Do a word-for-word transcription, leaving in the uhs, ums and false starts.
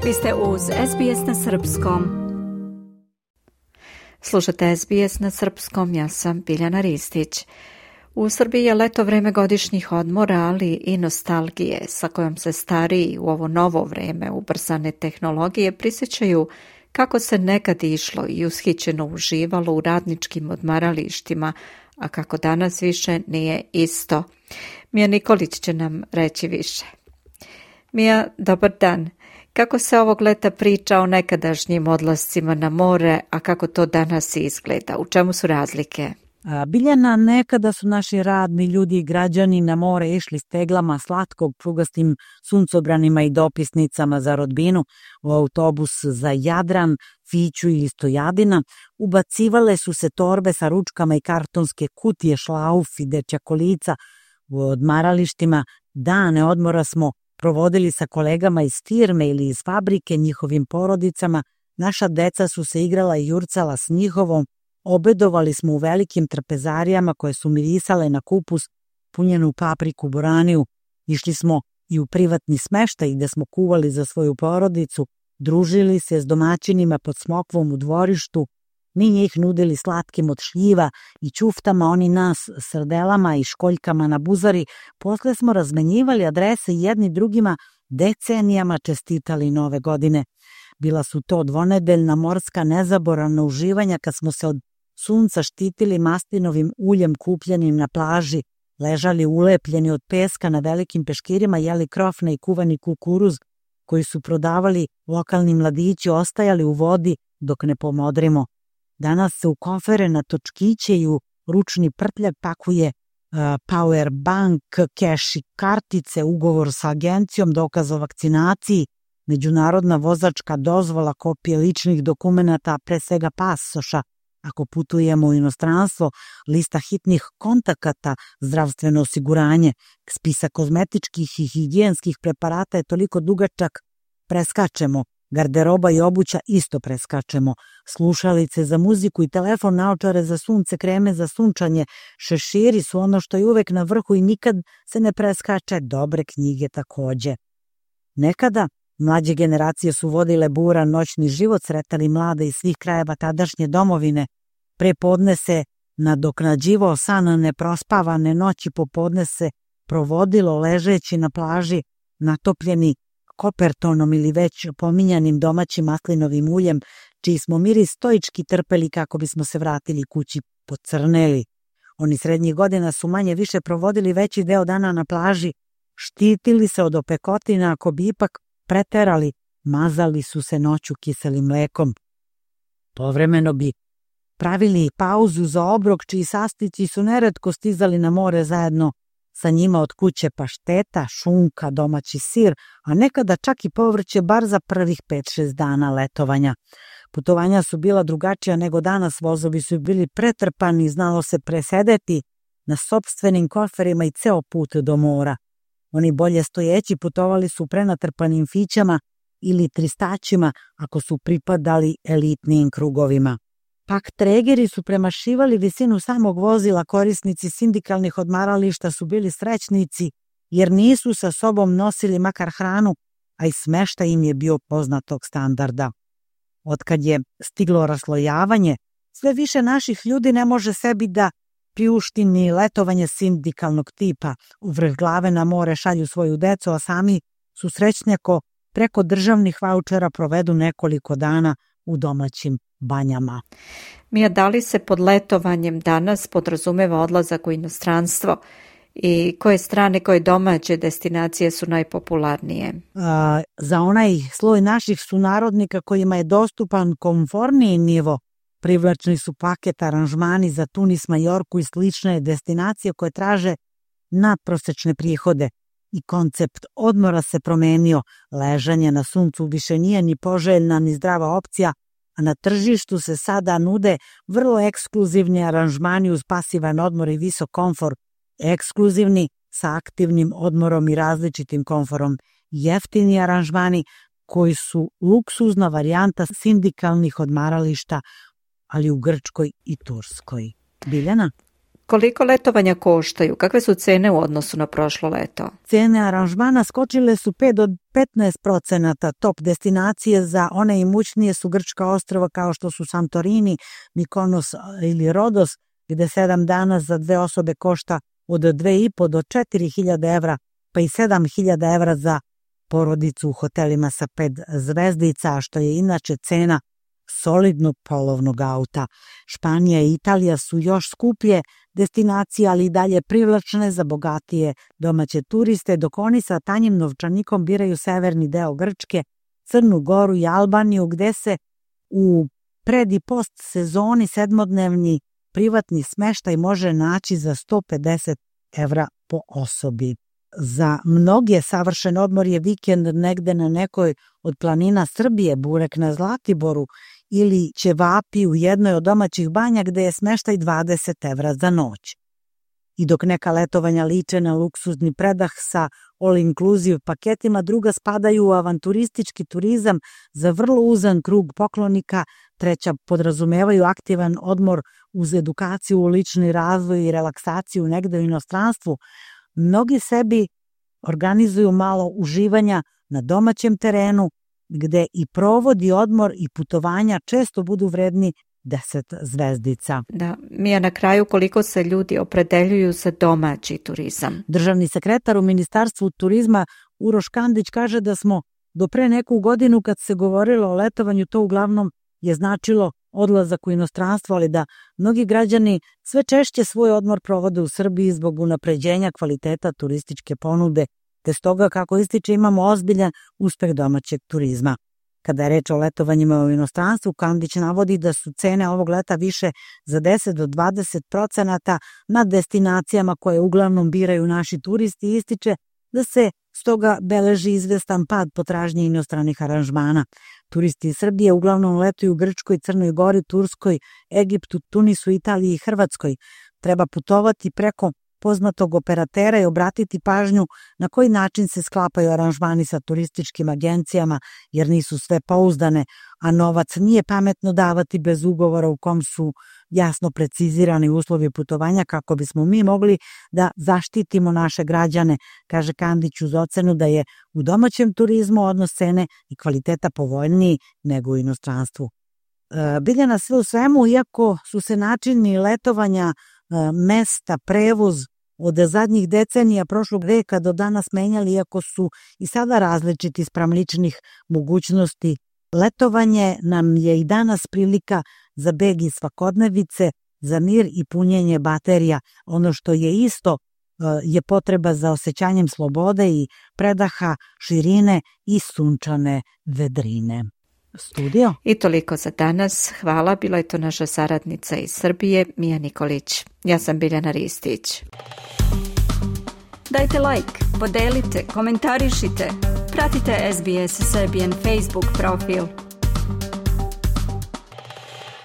Vi ste uz S B S na srpskom. Slušate S B S na srpskom, ja sam Biljana Ristić. U Srbiji je leto vreme godišnjih odmora, ali i nostalgije sa kojom se stariji u ovo novo vreme ubrzane tehnologije prisjećaju kako se nekad išlo i ushićeno uživalo u radničkim odmaralištima, a kako danas više nije isto. Mija Nikolić će nam reći više. Mija, dobar dan. Kako se ovog leta priča o nekadašnjim odlascima na more, a kako to danas izgleda? U čemu su razlike? Biljana, nekada su naši radni ljudi i građani na more išli s teglama slatkog prugastim suncobranima i dopisnicama za rodbinu u autobus za Jadran, Fiću ili Stojadina. Ubacivale su se torbe sa ručkama i kartonske kutije, šlauf i dečja kolica. U odmaralištima dane odmora smo provodili sa kolegama iz firme ili iz fabrike, njihovim porodicama. Naša deca su se igrala i jurcala s njihovom. Obedovali smo u velikim trpezarijama koje su mirisale na kupus, punjenu papriku, boraniju. Išli smo i u privatni smeštaj gde smo kuvali za svoju porodicu, družili se s domaćinima pod smokvom u dvorištu. Mi njih nudili slatkim od šljiva i ćuftama, oni nas srdelama i školjkama na buzari. Posle smo razmenjivali adrese jedni drugima, decenijama čestitali nove godine. Bila su to dvonedeljna morska nezaboravna uživanja kad smo se od sunca štitili mastinovim uljem kupljenim na plaži, ležali ulepljeni od peska na velikim peškirima, jeli krofne i kuvani kukuruz koji su prodavali lokalni mladići, ostajali u vodi dok ne pomodrimo. Danas se u kofere na točkiće i u ručni prtljak pakuje uh, power bank, keš i kartice, ugovor sa agencijom, dokaz o vakcinaciji, međunarodna vozačka dozvola, kopije ličnih dokumenata, pre svega pasoša ako putujemo u inostranstvo, lista hitnih kontakata, zdravstveno osiguranje, spisak kozmetičkih i higijenskih preparata je toliko dugačak, preskačemo. Garderoba i obuća isto preskačemo. Slušalice za muziku i telefon, naočare za sunce, kreme za sunčanje, šeširi su ono što je uvek na vrhu i nikad se ne preskače, dobre knjige takođe. Nekada mlađe generacije su vodile buran noćni život, sretali mlade iz svih krajeva tadašnje domovine. Prepodne se nadoknađivao san neprospavane noći, popodne se provodilo ležeći na plaži, natopljeni kopertonom ili već pominjanim domaćim maslinovim uljem, čiji smo miris stoički trpeli kako bismo se vratili kući pocrneli. Oni srednjih godina su manje više provodili veći deo dana na plaži, štitili se od opekotina, ako bi ipak preterali, mazali su se noću kiselim mlekom. Povremeno bi pravili pauzu za obrok, čiji sastojci su neretko stizali na more zajedno sa njima od kuće, pašteta, šunka, domaći sir, a nekada čak i povrće bar za prvih pet šest dana letovanja. Putovanja su bila drugačija nego danas, vozovi su bili pretrpani, znalo se presedeti na sopstvenim koferima i ceo put do mora. Oni bolje stojeći putovali su prenatrpanim fićama ili tristaćima ako su pripadali elitnijim krugovima. Pak tregeri su premašivali visinu samog vozila, korisnici sindikalnih odmarališta su bili srećnici jer nisu sa sobom nosili makar hranu, a i smeštaj im je bio poznatog standarda. Otkad je stiglo raslojavanje, sve više naših ljudi ne može sebi da priušti ni letovanje sindikalnog tipa. U vrh glave na more šalju svoju decu, a sami su srećni ako preko državnih vaučera provedu nekoliko dana u domaćim banjama. Mija, da li se pod letovanjem danas podrazumeva odlazak u inostranstvo i koje strane, koje domaće destinacije su najpopularnije? A, za onaj sloj naših sunarodnika kojima je dostupan komforniji nivo, privlačni su paket aranžmani za Tunis, Majorku i slične destinacije koje traže nadprosečne prihode. I koncept odmora se promenio. Ležanje na suncu više nije ni poželjna ni zdrava opcija, a na tržištu se sada nude vrlo ekskluzivni aranžmani uz pasivan odmor i visok komfor, ekskluzivni sa aktivnim odmorom i različitim komforom, jeftini aranžmani koji su luksuzna varijanta sindikalnih odmarališta, ali u Grčkoj i Turskoj. Biljana? Koliko letovanja koštaju? Kakve su cene u odnosu na prošlo leto? Cene aranžmana skočile su pet do petnaest procenata. Top destinacije za one imućnije su grčka ostrva kao što su Santorini, Mikonos ili Rodos, gde sedam dana za dve osobe košta od dve i po do četiri hiljade evra, pa i sedam hiljada evra za porodicu u hotelima sa pet zvezdica, što je inače cena solidnog polovnog auta. Španija i Italija su još skuplje destinacije, ali i dalje privlačne za bogatije domaće turiste, dok oni sa tanjim novčanikom biraju severni deo Grčke, Crnu Goru i Albaniju, gde se u pred i post sezoni sedmodnevni privatni smeštaj može naći za sto pedeset evra po osobi. Za mnoge savršen odmor je vikend negde na nekoj od planina Srbije, burek na Zlatiboru ili ćevapi u jednoj od domaćih banja gde je smeštaj dvadeset evra za noć. I dok neka letovanja liče na luksuzni predah sa all-inclusive paketima, druga spadaju u avanturistički turizam za vrlo uzan krug poklonika, treća podrazumevaju aktivan odmor uz edukaciju u lični razvoj i relaksaciju negde u inostranstvu. Mnogi sebi organizuju malo uživanja na domaćem terenu, gde i provodi odmor i putovanja često budu vredni deset zvezdica. Da, Mija, na kraju koliko se ljudi opredeljuju za domaći turizam? Državni sekretar u Ministarstvu turizma Uroš Kandić kaže da smo do pre neku godinu kad se govorilo o letovanju, to uglavnom je značilo odlazak u inostranstvo, ali da mnogi građani sve češće svoj odmor provode u Srbiji zbog unapređenja kvaliteta turističke ponude, te stoga, kako ističe, imamo ozbiljan uspeh domaćeg turizma. Kada je reč o letovanjima u inostranstvu, Kandić navodi da su cene ovog leta više za deset do dvadeset procenata na destinacijama koje uglavnom biraju naši turisti i ističe da se stoga beleži izvestan pad potražnje inostranih aranžmana. Turisti iz Srbije uglavnom letuju u Grčkoj, Crnoj Gori, Turskoj, Egiptu, Tunisu, Italiji i Hrvatskoj. Treba putovati preko poznatog operatera i obratiti pažnju na koji način se sklapaju aranžmani sa turističkim agencijama, jer nisu sve pouzdane, a novac nije pametno davati bez ugovora u kom su jasno precizirani uslovi putovanja kako bismo mi mogli da zaštitimo naše građane, kaže Kandić uz ocenu da je u domaćem turizmu odnos cene i kvaliteta povoljniji nego u inostranstvu. E, Biljana, sve u svemu, iako su se načini letovanja, mesta, prevoz od zadnjih decenija prošlog veka do danas menjali, iako su i sada različiti spram ličnih mogućnosti, letovanje nam je i danas prilika za beg iz svakodnevice, za mir i punjenje baterija. Ono što je isto je potreba za osjećanjem slobode i predaha, širine i sunčane vedrine. Studio. I toliko za danas. Hvala, bila je to naša saradnica iz Srbije, Mija Nikolić. Ja sam Biljana Ristić. Dajte like, podelite, komentarišite. Pratite S B S Serbian Facebook profil.